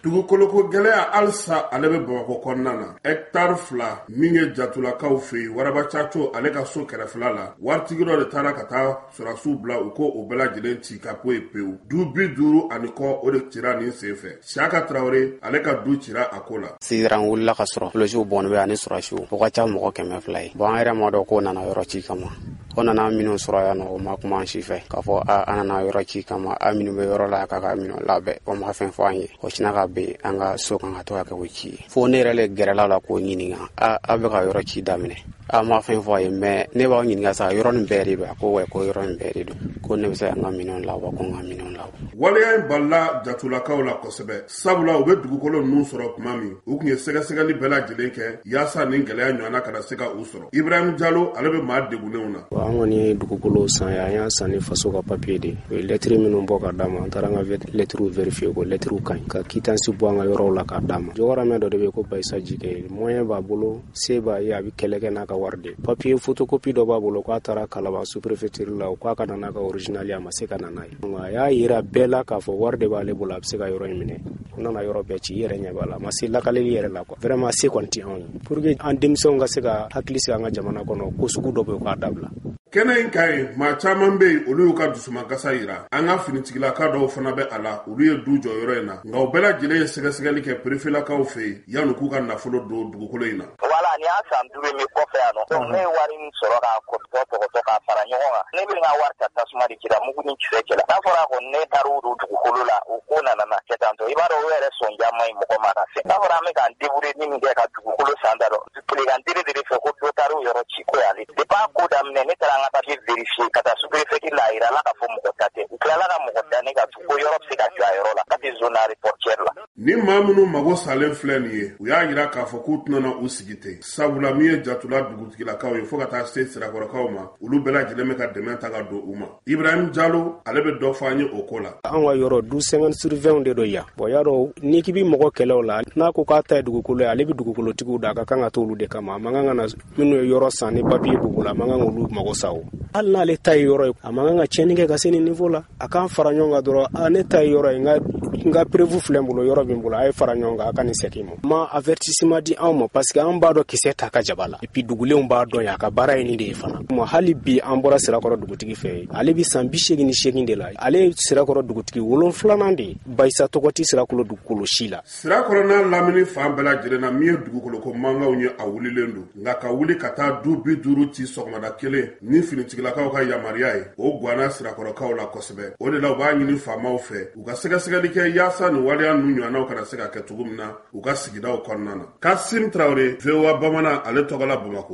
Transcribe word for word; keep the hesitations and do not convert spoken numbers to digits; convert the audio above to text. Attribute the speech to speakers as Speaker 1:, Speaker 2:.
Speaker 1: Dugukoloko gɛlɛya halisa ale bɛ Bamakɔ kɔnɔna na. Hectare fila min ye Jatulakaw fɛ yen, Waraba Caco ale ka so kɛrɛfɛla la, waritigi dɔ de taara ka taa sɔrɔdasiw bila u ko o bɛɛ lajɛlen ci ka bɔ yen pewu. Du bi duuru ani kɔ, o de cira nin sen fɛ. Siyaka Tarawele, ale ka du cira a ko la.
Speaker 2: Sisan wulila ka sɔrɔ polisiw bɔn bɛ ani sɔrɔdasiw, o ka ca mɔgɔ kɛmɛ fila ye. Bon, an yɛrɛ ma dɔn k'o nana yɔrɔ ci kama. O nana minnu sɔrɔ yan nɔ, o ma kuma an si fɛ k'a fɔ a an nana yɔrɔ ci kama, a minnu bɛ yɔrɔ la k'a ka minɛn labɛn. O ma fɛn fɔ an ye. O sina ka ben an ka so kan ka to ka kɛ o ci ye, fo ne yɛrɛ le gɛrɛla la k'o ɲininka: a a bɛ ka yɔrɔ ci daminɛ, a ma fɛn fɔ a ye? Mais ne b'aw ɲininka sa, yɔrɔ nin bɛɛ de don? A ko wa, ko yɔrɔ nin bɛɛ de don, ko ne bɛ se ka n ka minɛnw labɔ, ko n ka minɛnw labɔ.
Speaker 1: Waleya in balila Jatulakaw la kosɛbɛ, sabula u bɛ dugukolo ninnu sɔrɔ tuma min, u tun ye sɛgɛsɛgɛli bɛɛ lajɛlen kɛ yaasa nin gɛlɛya ɲɔgɔnna kana se ka u sɔrɔ. Ibrahim Jalo, ale bɛ maa degunnenw na.
Speaker 3: An kɔni ye dugukolo san ye, an y'a san ni faso ka papiye de. U ye lɛtiri minnu bɔ ka d'a ma, an taara an ka lɛtiriw vérifier, ko lɛtiriw ka ɲi, ka quittance bɔ an ka yɔrɔw la k'a d'a ma. Jɔgɔramɛ dɔ de bɛ ko Bayisa Jike, moyen b'a bolo, se b'a ye, a bɛ kɛlɛ kɛ n'a ka wari de. Papiye photocopie dɔ b'a bolo, k'a taara Kalaban sous-préfecture la, o k'a ka na n'a ka original ye, a ma se ka na n'a ye. A y'a yira bɛɛ la k'a fɔ wari de b'ale bolo, a bɛ se ka yɔrɔ in minɛ. U nana yɔrɔ bɛɛ ci, i yɛrɛ ɲɛ b'a la, a ma se lakaleli yɛrɛ la quoi. Vraiment, se kɔni tɛ anw ye pour que an denmisɛnw ka se ka hakili sigi an ka jamana kɔnɔ, ko sugu dɔ bɛ yen, k'a dabila.
Speaker 1: Kɛnɛ in ka ɲi, maa caman bɛ yen, olu y'u ka dusumakasa yira. An ka finitigilaka dɔw fana bɛ a la, olu ye du jɔ yɔrɔ in na, nka u bɛɛ lajɛlen ye sɛgɛsɛgɛli kɛ perefelakaw fɛ yen yanni k'u ka nafolo don dugukolo in na.
Speaker 4: Wala nin y'a san duuru min kɔfɛ yan nɔ, donc ne ye wari min sɔrɔ k'a kɔtɔ tɔgɔtɔ k'a fara ɲɔgɔn kan, ne bɛ n ka wari ta tasuma de cira, mugu ni kisɛ cɛla. N'a fɔra ko ne taara o don dugukolo la, o ko nana na kɛ tantɔ, i b'a dɔn o yɛrɛ sɔnja man ɲi mɔgɔ ma ka fɛn. N'a fɔra an bɛ k'an débrouiller ni min kɛ ka dugukolo san da dɔn, tilegan dere dere fɛ ko dɔ taara o yɔrɔ ci ko y'ale. Depuis a ko daminɛ, ne taara an ka papier vérifier ka taa sous-préfecture la, a yira la k'a fɔ mɔgɔ ta tɛ. U tilala ka mɔgɔ da ne ka ko yɔrɔ bɛ se ka jɔ a yɔrɔ la ka tɛ zone aéroportuaire la.
Speaker 1: Ni maa minnu mago salen filɛ nin ye, u y'a yira k'a fɔ k'u tɛna u sigi ten, sabula min ye Jatula dugutigilakaw ye fo ka taa se Sirakɔrɔkaw ma, olu bɛɛ lajɛlen bɛ ka dɛmɛ ta ka don u ma. Ibrahim Jalo, ale bɛ dɔ fɔ an ye o ko la.
Speaker 3: An ka yɔrɔ du cinquante sur vingt de don yan. Bon, y'a dɔn n'i k'i bɛ mɔgɔ kɛlɛ o la, n'a ko k'a ta ye dugukolo ye, ale bɛ dugukolotigiw da, a ka kan ka t'olu de kama. A man kan ka na minnu ye yɔrɔ san ni papiye b'u bolo, a man kan k'olu mago sa. O hali n'ale ta ye yɔrɔ ye, a man kan ka tiɲɛni kɛ ka se nin niveau la. A k'an fara ɲɔgɔn kan dɔrɔn: a ne ta ye yɔrɔ ye, n ka n ka preuve filɛ n bolo, yɔrɔ bɛ n bolo, a ye fara ɲɔgɔn kan, a ka nin segin ma. Ma avertissement di anw ma, parce que an b'a dɔn kisɛ ta ka jaba la, et puis dugulenw b'a dɔn yan, a ka baara ye nin de ye fana. Hali bi an bɔra Sirakɔrɔ dugutigi fɛ yen, ale bi san bi seegin ni seegin de la, ale ye Sirakɔrɔ dugutigi wolonfilanan de ye. Bayisa tɔgɔ tɛ Sirakɔrɔ dugukolo si la.
Speaker 1: Sirakɔrɔ n'a lamini fan bɛɛ lajɛlen na, min ye dugukoloko mankanw ye, a wulilen don, nka ka wuli ka taa du bi duuru ci sɔgɔmada kelen ni finitigilakaw ka yamaruya ye, o ganna Sirakɔrɔkaw la kosɛbɛ. O de la u b'a ɲini faamaw fɛ u ka sɛgɛsɛgɛli kɛ yaasa nin waleya ninnu ɲɔgɔnnaw kana se ka kɛ cogo min na u ka sigidaw kɔnɔna na. Kasim Tarawele, V O A Bamanan, ale tɔgɔ la Bamakɔ.